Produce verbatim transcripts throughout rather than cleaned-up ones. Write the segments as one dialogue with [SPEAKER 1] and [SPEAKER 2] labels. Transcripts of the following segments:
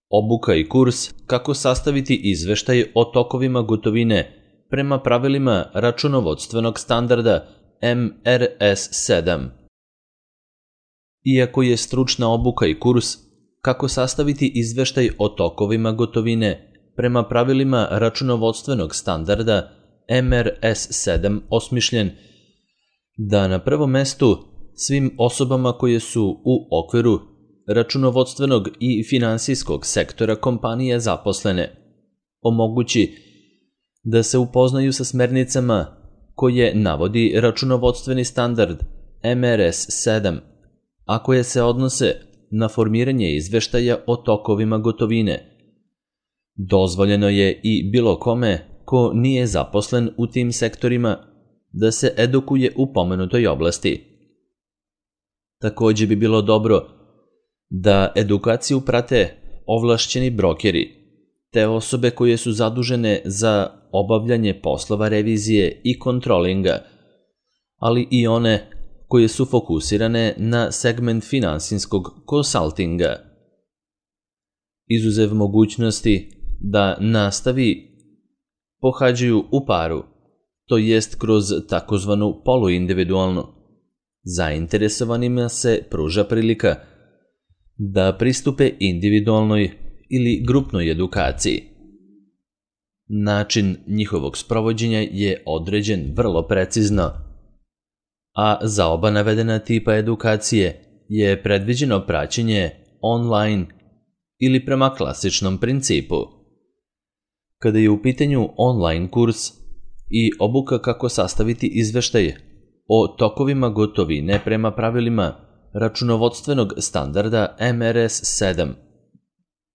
[SPEAKER 1] Obuka i kurs kako sastaviti izveštaj o tokovima gotovine prema pravilima računovodstvenog standarda M R S sedam. Iako je stručna obuka i kurs kako sastaviti izveštaj o tokovima gotovine prema pravilima računovodstvenog standarda M R S sedam osmišljen da na prvom mestu svim osobama koje su u okviru računovodstvenog i finansijskog sektora kompanije zaposlene omogući da se upoznaju sa smernicama koje navodi računovodstveni standard M R S sedam, a koje se odnose na formiranje izveštaja o tokovima gotovine. Dozvoljeno je i bilo kome ko nije zaposlen u tim sektorima da se edukuje u pomenutoj oblasti. Takođe bi bilo dobro da edukaciju prate ovlašćeni brokeri, te osobe koje su zadužene za obavljanje poslova revizije i kontrolinga, ali i one koje su fokusirane na segment finansijskog konsaltinga. Izuzev mogućnosti da nastavi pohađaju u paru, to jest kroz takozvanu poluindividualnu. Zainteresovanima se pruža prilika da pristupe individualnoj ili grupnoj edukaciji. Način njihovog sprovođenja je određen vrlo precizno, a za oba navedena tipa edukacije je predviđeno praćenje online ili prema klasičnom principu. Kada je u pitanju online kurs i obuka kako sastaviti izveštaj o tokovima gotovine prema pravilima računovodstvenog standarda M R S sedam,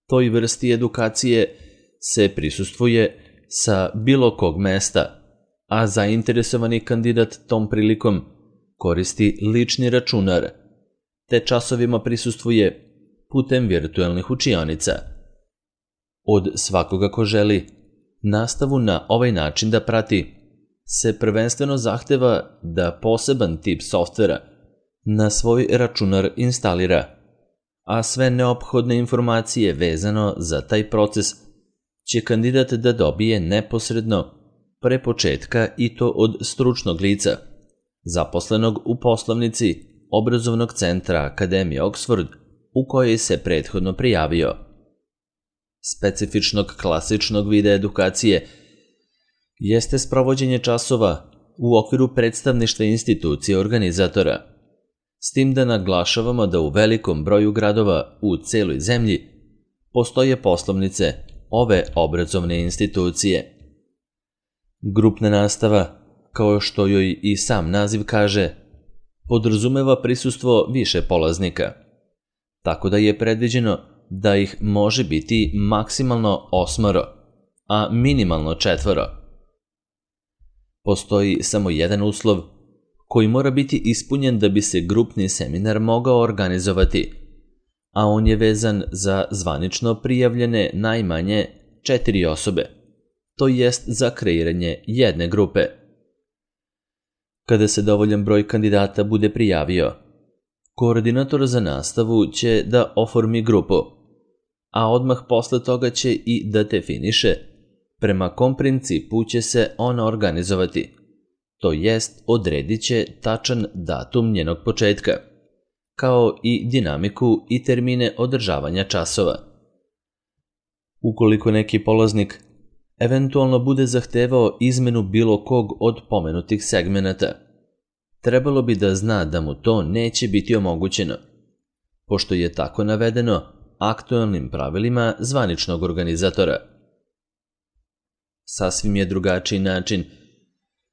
[SPEAKER 1] toj vrsti edukacije se prisustvuje sa bilo kog mesta, a zainteresovani kandidat tom prilikom koristi lični računar, te časovima prisustvuje putem virtuelnih učionica. Od svakoga ko želi nastavu na ovaj način da prati, se prvenstveno zahteva da poseban tip softvera na svoj računar instalira, a sve neophodne informacije vezano za taj proces će kandidat da dobije neposredno pre početka i to od stručnog lica, zaposlenog u poslovnici obrazovnog centra Akademije Oxford u kojoj se prethodno prijavio. Specifičnog klasičnog vida edukacije jeste sprovođenje časova u okviru predstavništva institucije organizatora, s tim da naglašavamo da u velikom broju gradova u celoj zemlji postoje poslovnice ove obrazovne institucije. Grupna nastava, kao što joj i sam naziv kaže, podrazumeva prisustvo više polaznika, tako da je predviđeno da ih može biti maksimalno osmoro, a minimalno četvoro. Postoji samo jedan uslov koji mora biti ispunjen da bi se grupni seminar mogao organizovati, a on je vezan za zvanično prijavljene najmanje četiri osobe, to jest za kreiranje jedne grupe. Kada se dovoljan broj kandidata bude prijavio, koordinator za nastavu će da oformi grupu, a odmah posle toga će i da definiše prema kom principu će se ona organizovati, to jest odredit će tačan datum njenog početka, kao i dinamiku i termine održavanja časova. Ukoliko neki polaznik eventualno bude zahtevao izmenu bilo kog od pomenutih segmenata, trebalo bi da zna da mu to neće biti omogućeno, pošto je tako navedeno aktuelnim pravilima zvaničnog organizatora. Sasvim je drugačiji način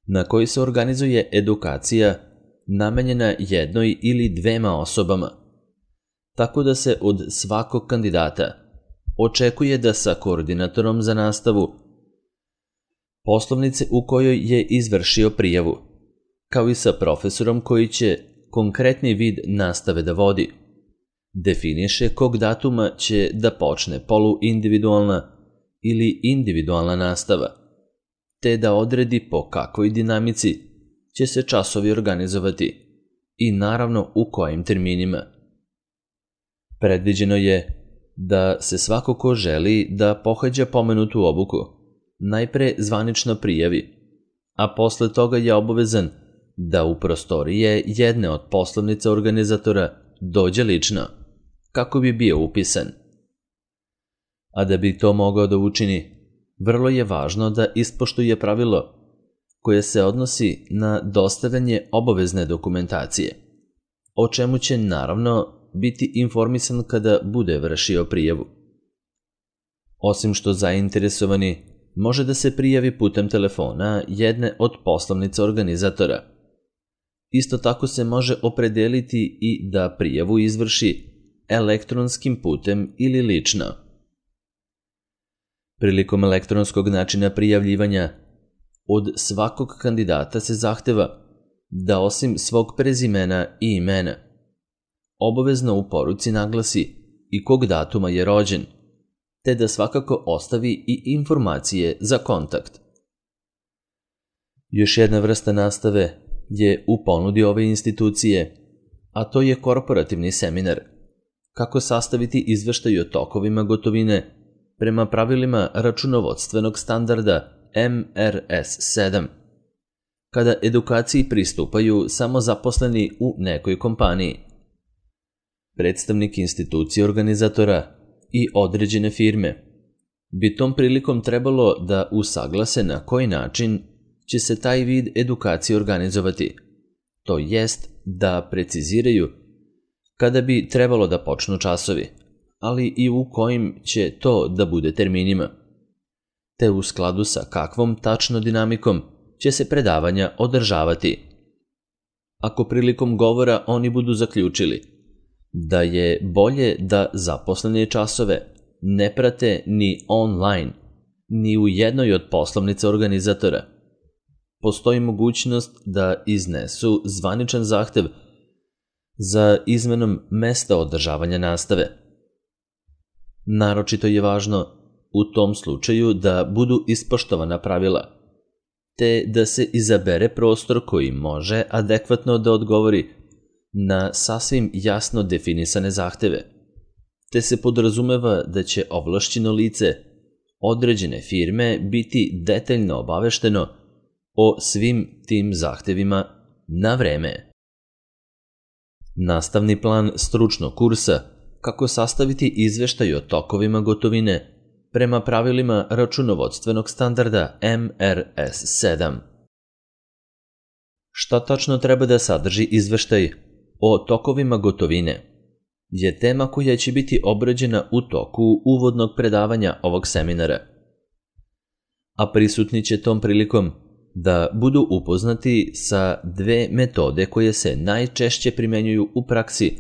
[SPEAKER 1] na koji se organizuje edukacija namenjena jednoj ili dvema osobama, tako da se od svakog kandidata očekuje da sa koordinatorom za nastavu poslovnice u kojoj je izvršio prijavu, kao i sa profesorom koji će konkretni vid nastave da vodi, definiše kog datuma će da počne poluindividualna ili individualna nastava, te da odredi po kakvoj dinamici će se časovi organizovati i naravno u kojim terminima. Predviđeno je da se svako ko želi da pohađa pomenutu obuku najpre zvanično prijavi, a posle toga je obavezan da u prostorije jedne od poslovnica organizatora dođe lično, kako bi bio upisan. A da bi to mogao da učini, vrlo je važno da ispoštuje pravilo koje se odnosi na dostavljanje obavezne dokumentacije, o čemu će naravno biti informisan kada bude vršio prijavu. Osim što zainteresovani može da se prijavi putem telefona jedne od poslovnica organizatora, isto tako se može opredeliti i da prijavu izvrši elektronskim putem ili lično. Prilikom elektronskog načina prijavljivanja, od svakog kandidata se zahteva da osim svog prezimena i imena, obavezno u poruci naglasi i kog datuma je rođen, te da svakako ostavi i informacije za kontakt. Još jedna vrsta nastave je u ponudi ove institucije, a to je korporativni seminar, kako sastaviti izveštaj o tokovima gotovine prema pravilima računovodstvenog standarda M R S sedam, kada edukaciji pristupaju samo zaposleni u nekoj kompaniji. Predstavnik institucije organizatora i određene firme bi tom prilikom trebalo da usaglase na koji način će se taj vid edukacije organizovati, to jest da preciziraju kada bi trebalo da počnu časovi, ali i u kojim će to da bude terminima, te u skladu sa kakvom tačno dinamikom će se predavanja održavati. Ako prilikom govora oni budu zaključili da je bolje da zaposlene časove ne prate ni online, ni u jednoj od poslovnica organizatora, postoji mogućnost da iznesu zvaničan zahtev za izmenom mesta održavanja nastave. Naročito je važno u tom slučaju da budu ispoštovana pravila, te da se izabere prostor koji može adekvatno da odgovori na sasvim jasno definisane zahteve, te se podrazumeva da će ovlašćeno lice određene firme biti detaljno obavešteno o svim tim zahtevima na vreme. Nastavni plan stručnog kursa kako sastaviti izveštaj o tokovima gotovine prema pravilima računovodstvenog standarda M R S sedam. Šta tačno treba da sadrži izveštaj o tokovima gotovine je tema koja će biti obrađena u toku uvodnog predavanja ovog seminara, a prisutni će tom prilikom da budu upoznati sa dve metode koje se najčešće primenjuju u praksi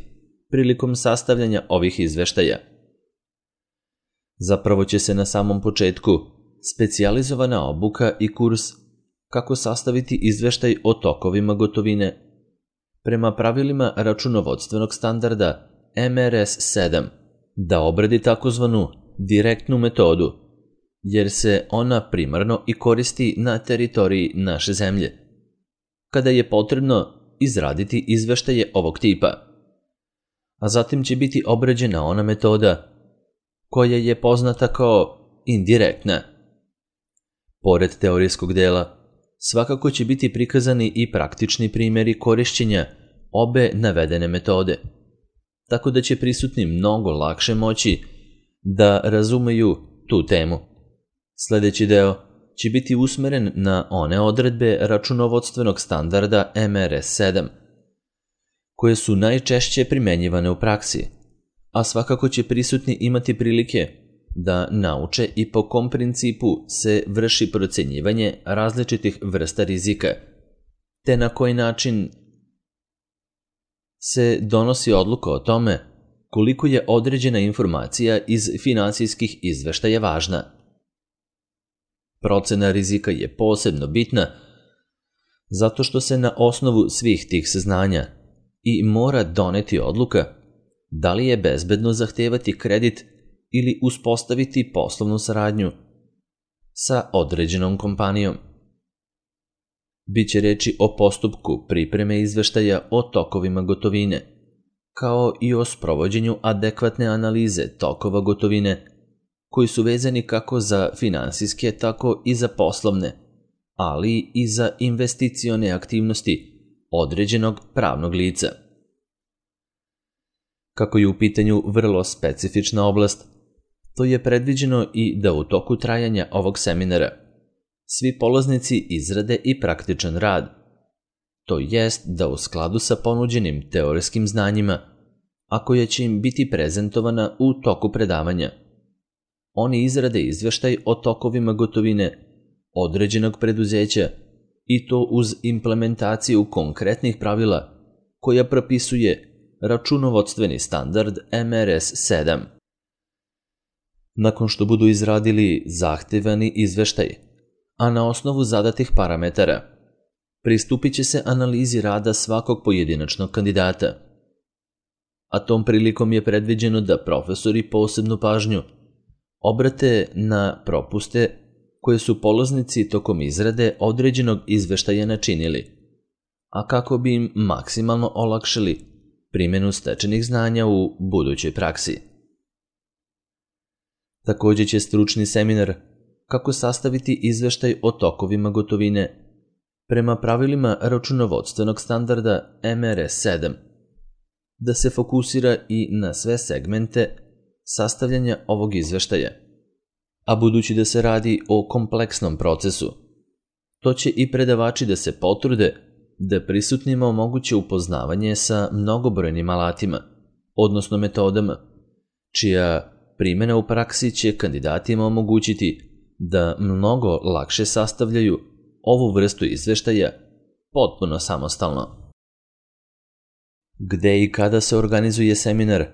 [SPEAKER 1] prilikom sastavljanja ovih izveštaja. Zapravo će se na samom početku specijalizovana obuka i kurs kako sastaviti izveštaj o tokovima gotovine prema pravilima računovodstvenog standarda M R S sedam da obradi takozvanu direktnu metodu, jer se ona primarno i koristi na teritoriji naše zemlje, kada je potrebno izraditi izveštaje ovog tipa. A zatim će biti obrađena ona metoda koja je poznata kao indirektna. Pored teorijskog dela, svakako će biti prikazani i praktični primjeri korišćenja obe navedene metode, tako da će prisutni mnogo lakše moći da razumeju tu temu. Sljedeći deo će biti usmeren na one odredbe računovodstvenog standarda M R S sedam, koje su najčešće primenjivane u praksi, a svakako će prisutni imati prilike da nauče i po kom principu se vrši procenjivanje različitih vrsta rizika, te na koji način se donosi odluka o tome koliko je određena informacija iz finansijskih izveštaja važna. Procena rizika je posebno bitna zato što se na osnovu svih tih saznanja i mora doneti odluka da li je bezbedno zahtevati kredit ili uspostaviti poslovnu saradnju sa određenom kompanijom. Biće reči o postupku pripreme izveštaja o tokovima gotovine, kao i o sprovođenju adekvatne analize tokova gotovine, koji su vezani kako za finansijske, tako i za poslovne, ali i za investicione aktivnosti određenog pravnog lica. Kako je u pitanju vrlo specifična oblast, to je predviđeno i da u toku trajanja ovog seminara svi polaznici izrade i praktičan rad, to jest da u skladu sa ponuđenim teorijskim znanjima, a koja će im biti prezentovana u toku predavanja, oni izrade izveštaj o tokovima gotovine određenog preduzeća i to uz implementaciju konkretnih pravila koja propisuje računovodstveni standard M R S sedam. Nakon što budu izradili zahtevani izveštaj, a na osnovu zadatih parametara, pristupit će se analizi rada svakog pojedinačnog kandidata. A tom prilikom je predviđeno da profesori posebnu pažnju obrate na propuste koje su polaznici tokom izrade određenog izveštaja načinili, a kako bi im maksimalno olakšali primjenu stečenih znanja u budućoj praksi. Također će stručni seminar kako sastaviti izveštaj o tokovima gotovine prema pravilima računovodstvenog standarda M R S sedam, da se fokusira i na sve segmente sastavljanja ovog izveštaja, a budući da se radi o kompleksnom procesu, to će i predavači da se potrude da prisutnima omoguće upoznavanje sa mnogobrojnim alatima, odnosno metodama, čija primjena u praksi će kandidatima omogućiti da mnogo lakše sastavljaju ovu vrstu izveštaja potpuno samostalno. Gde i kada se organizuje seminar,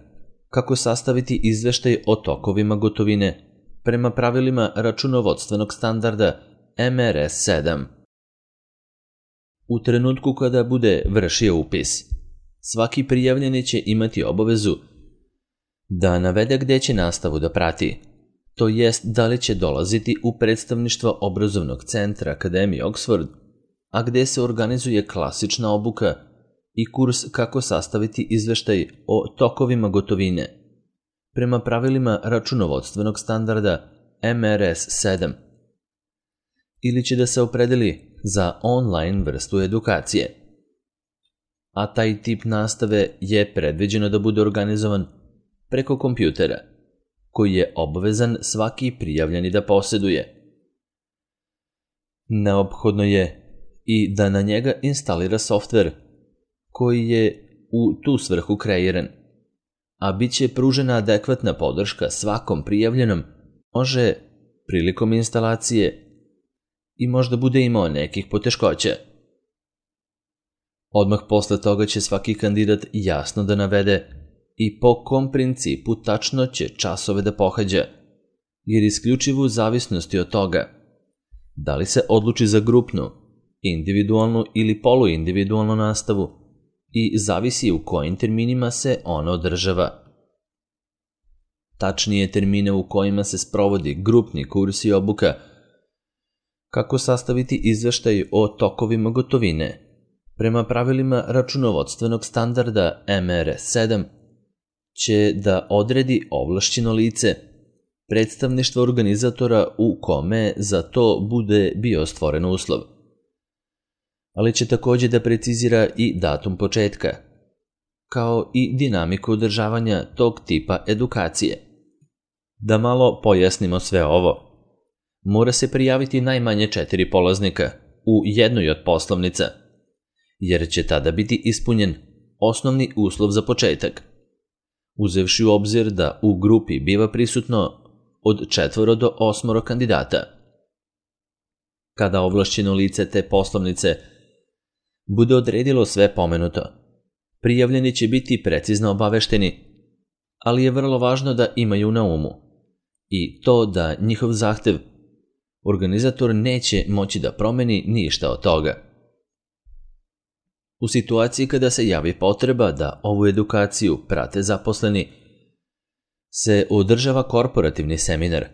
[SPEAKER 1] kako sastaviti izveštaj o tokovima gotovine prema pravilima računovodstvenog standarda M R S sedam. U trenutku kada bude vršio upis, svaki prijavljeni će imati obavezu da navede gde će nastavu da prati, to jest da li će dolaziti u predstavništvo obrazovnog centra Akademije Oxford, a gde se organizuje klasična obuka i kurs kako sastaviti izveštaj o tokovima gotovine prema pravilima računovodstvenog standarda M R S sedam, ili će da se opredeli za online vrstu edukacije. A taj tip nastave je predviđeno da bude organizovan preko kompjutera, koji je obavezan svaki prijavljeni da posjeduje. Neophodno je i da na njega instalira softver koji je u tu svrhu kreiran, a bit će pružena adekvatna podrška svakom prijavljenom, može prilikom instalacije i možda bude imao nekih poteškoća. Odmah posle toga će svaki kandidat jasno da navede i po kom principu tačno će časove da pohađa, jer isključivo u zavisnosti od toga da li se odluči za grupnu, individualnu ili poluindividualnu nastavu i zavisi u kojim terminima se ona održava. Tačnije termine u kojima se sprovodi grupni kurs i obuka, kako sastaviti izveštaj o tokovima gotovine prema pravilima računovodstvenog standarda M R S sedam, će da odredi ovlašćeno lice, predstavništvo organizatora u kome za to bude bio stvoren uslov. Ali će također da precizira i datum početka, kao i dinamiku održavanja tog tipa edukacije. Da malo pojasnimo sve ovo. Mora se prijaviti najmanje četiri polaznika u jednoj od poslovnica, jer će tada biti ispunjen osnovni uslov za početak, uzevši u obzir da u grupi biva prisutno od četvoro do osmoro kandidata. Kada ovlašćeno lice te poslovnice bude odredilo sve pomenuto, prijavljeni će biti precizno obavešteni, ali je vrlo važno da imaju na umu i to da njihov zahtev organizator neće moći da promeni ništa od toga. U situaciji kada se javi potreba da ovu edukaciju prate zaposleni, se održava korporativni seminar,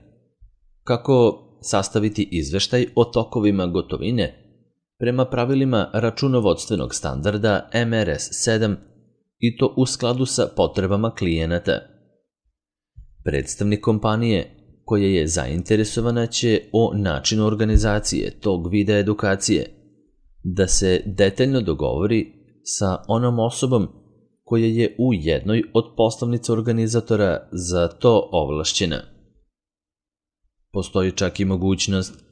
[SPEAKER 1] kako sastaviti izveštaj o tokovima gotovine prema pravilima računovodstvenog standarda M R S sedam i to u skladu sa potrebama klijenata. Predstavnik kompanije koja je zainteresovana će o načinu organizacije tog vida edukacije da se detaljno dogovori sa onom osobom koja je u jednoj od poslovnica organizatora za to ovlašćena. Postoji čak i mogućnost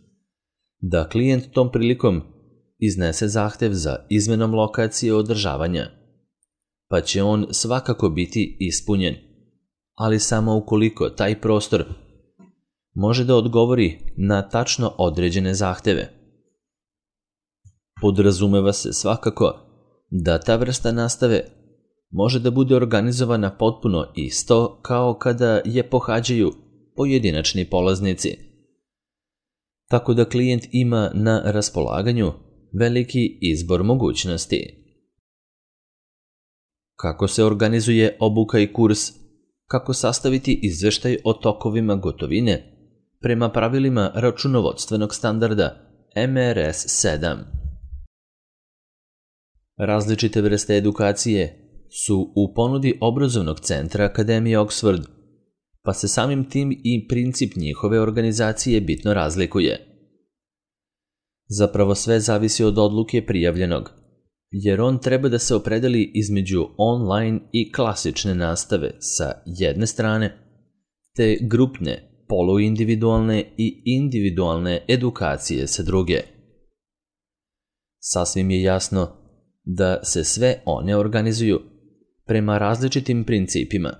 [SPEAKER 1] da klijent tom prilikom iznese zahtev za izmenom lokacije održavanja, pa će on svakako biti ispunjen, ali samo ukoliko taj prostor može da odgovori na tačno određene zahteve. Podrazumeva se svakako da ta vrsta nastave može da bude organizovana potpuno isto kao kada je pohađaju pojedinačni polaznici, tako da klijent ima na raspolaganju veliki izbor mogućnosti. Kako se organizuje obuka i kurs, kako sastaviti izveštaj o tokovima gotovine prema pravilima računovodstvenog standarda M R S sedam. Različite vrste edukacije su u ponudi obrazovnog centra Akademije Oxford, pa se samim tim i princip njihove organizacije bitno razlikuje. Zapravo sve zavisi od odluke prijavljenog, jer on treba da se opredeli između online i klasične nastave sa jedne strane, te grupne, poluindividualne i individualne edukacije sa druge. Sasvim je jasno da se sve one organizuju prema različitim principima,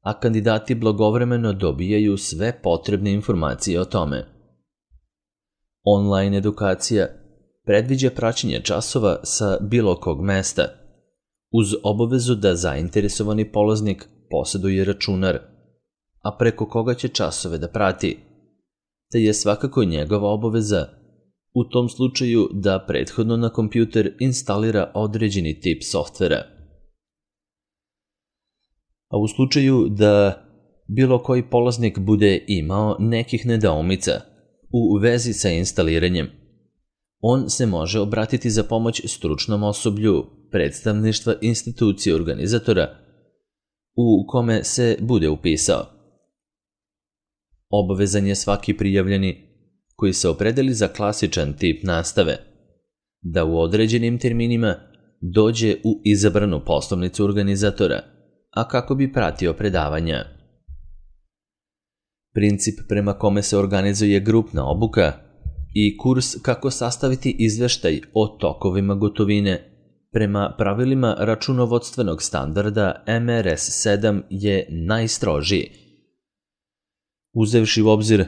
[SPEAKER 1] a kandidati blagovremeno dobijaju sve potrebne informacije o tome. Online edukacija predviđa praćenje časova sa bilo kog mesta, uz obavezu da zainteresovani polaznik poseduje računar, a preko koga će časove da prati, te je svakako njegova obaveza u tom slučaju da prethodno na kompjuter instalira određeni tip softvera. A u slučaju da bilo koji polaznik bude imao nekih nedoumica u vezi sa instaliranjem, on se može obratiti za pomoć stručnom osoblju predstavništva institucije organizatora u kome se bude upisao. Obavezan je svaki prijavljeni koji se opredeli za klasičan tip nastave da u određenim terminima dođe u izabranu poslovnicu organizatora, a kako bi pratio predavanja. Princip prema kome se organizuje grupna obuka i kurs kako sastaviti izveštaj o tokovima gotovine prema pravilima računovodstvenog standarda M R S sedam je najstrožiji, uzevši u obzir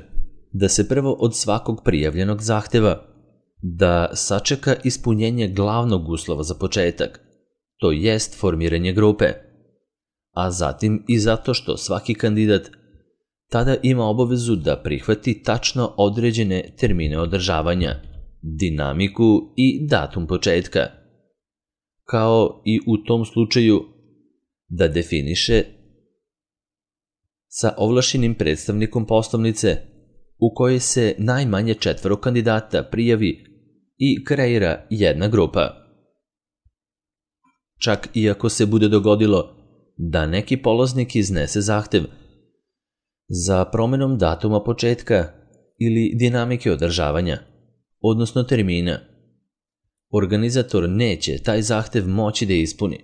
[SPEAKER 1] da se prvo od svakog prijavljenog zahteva da sačeka ispunjenje glavnog uslova za početak, to jest formiranje grupe, a zatim i zato što svaki kandidat tada ima obavezu da prihvati tačno određene termine održavanja, dinamiku i datum početka, kao i u tom slučaju da definiše sa ovlašćenim predstavnikom poslovnice u kojoj se najmanje četvoro kandidata prijavi i kreira jedna grupa. Čak i ako se bude dogodilo da neki polaznik iznese zahtev za promenom datuma početka ili dinamike održavanja, odnosno termina, organizator neće taj zahtev moći da ispuni,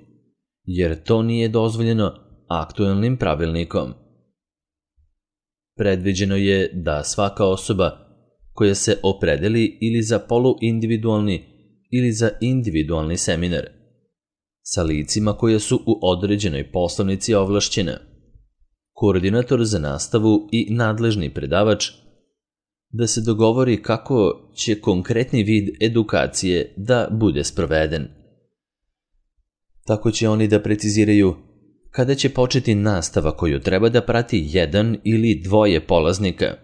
[SPEAKER 1] jer to nije dozvoljeno aktuelnim pravilnikom. Predviđeno je da svaka osoba koja se opredeli ili za poluindividualni ili za individualni seminar sa licima koja su u određenoj poslovnici ovlašćena, koordinator za nastavu i nadležni predavač, da se dogovori kako će konkretni vid edukacije da bude sproveden. Tako će oni da preciziraju kada će početi nastava koju treba da prati jedan ili dvoje polaznika,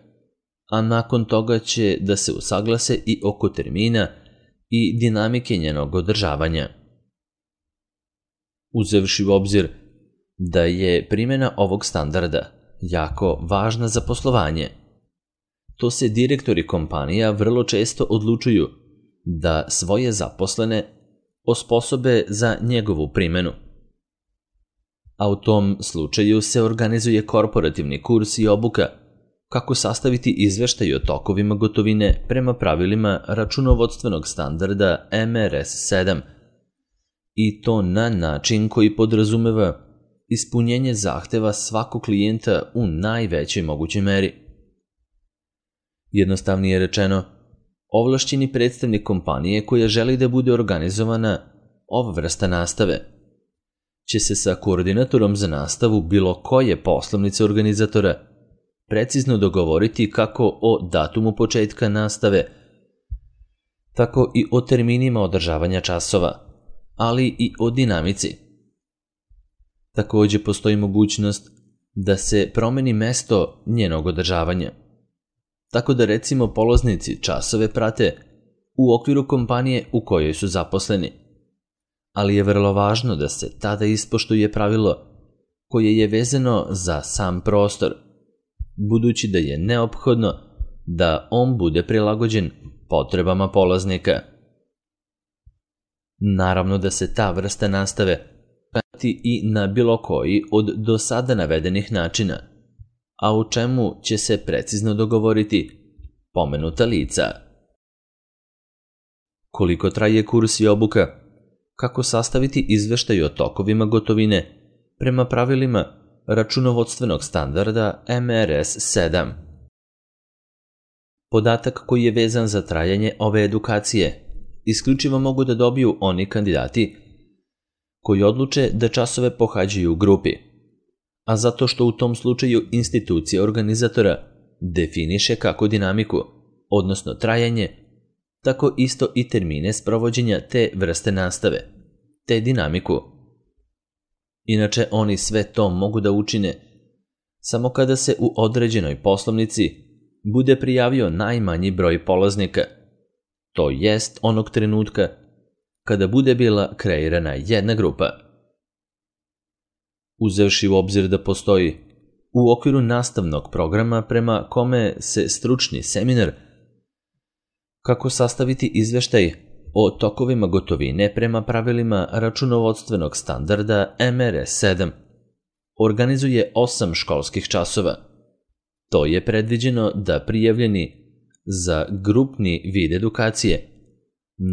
[SPEAKER 1] a nakon toga će da se usaglase i oko termina i dinamike njenog održavanja. Uzevši u obzir da je primjena ovog standarda jako važna za poslovanje, to se direktori kompanija vrlo često odlučuju da svoje zaposlene osposobe za njegovu primjenu, a u tom slučaju se organizuje korporativni kurs i obuka kako sastaviti izveštaj o tokovima gotovine prema pravilima računovodstvenog standarda M R S sedam i to na način koji podrazumeva ispunjenje zahteva svakog klijenta u najvećoj mogućoj meri. Jednostavnije rečeno, ovlašćeni predstavnik kompanije koja želi da bude organizovana ova vrsta nastave će se sa koordinatorom za nastavu bilo koje poslovnice organizatora precizno dogovoriti kako o datumu početka nastave, tako i o terminima održavanja časova, ali i o dinamici. Takođe postoji mogućnost da se promeni mesto njenog održavanja, tako da recimo polaznici časove prate u okviru kompanije u kojoj su zaposleni, ali je vrlo važno da se tada ispoštuje pravilo koje je vezano za sam prostor, budući da je neophodno da on bude prilagođen potrebama polaznika. Naravno da se ta vrsta nastave prati i na bilo koji od do sada navedenih načina, a u čemu će se precizno dogovoriti pomenuta lica. Koliko traje kurs i obuka? Kako sastaviti izveštaj o tokovima gotovine prema pravilima računovodstvenog standarda M R S sedam? Podatak koji je vezan za trajanje ove edukacije isključivo mogu da dobiju oni kandidati koji odluče da časove pohađaju u grupi, a zato što u tom slučaju institucija organizatora definiše kako dinamiku, odnosno trajanje, tako isto i termine sprovođenja te vrste nastave, te dinamiku. Inače, oni sve to mogu da učine samo kada se u određenoj poslovnici bude prijavio najmanji broj polaznika, to jest onog trenutka kada bude bila kreirana jedna grupa. Uzevši u obzir da postoji u okviru nastavnog programa prema kome se stručni seminar kako sastaviti izveštaj o tokovima gotovine prema pravilima računovodstvenog standarda M R S sedam organizuje osam školskih časova. To je predviđeno da prijavljeni za grupni vid edukacije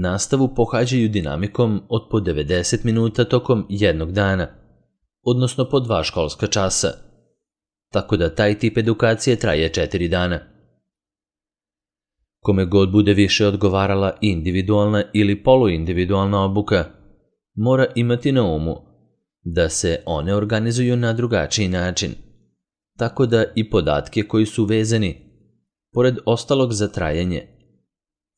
[SPEAKER 1] nastavu pohađaju dinamikom od po devedeset minuta tokom jednog dana, odnosno po dva školska časa, tako da taj tip edukacije traje četiri dana. Kome god bude više odgovarala individualna ili poluindividualna obuka, mora imati na umu da se one organizuju na drugačiji način, tako da i podatke koji su vezani, pored ostalog za trajanje,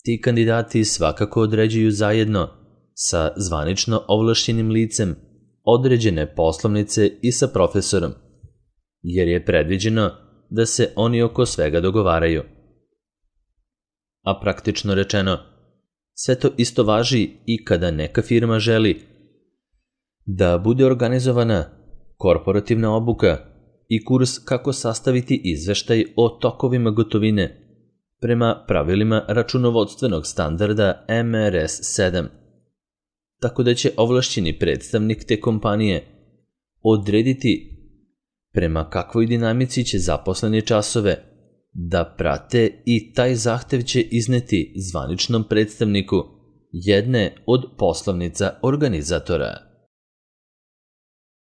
[SPEAKER 1] ti kandidati svakako određuju zajedno sa zvanično ovlašćenim licem određene poslovnice i sa profesorom, jer je predviđeno da se oni oko svega dogovaraju. A praktično rečeno, sve to isto važi i kada neka firma želi da bude organizovana korporativna obuka i kurs kako sastaviti izveštaj o tokovima gotovine prema pravilima računovodstvenog standarda M R S sedam, tako da će ovlašćeni predstavnik te kompanije odrediti prema kakvoj dinamici će zaposleni časove da prate i taj zahtev će izneti zvaničnom predstavniku jedne od poslovnica organizatora.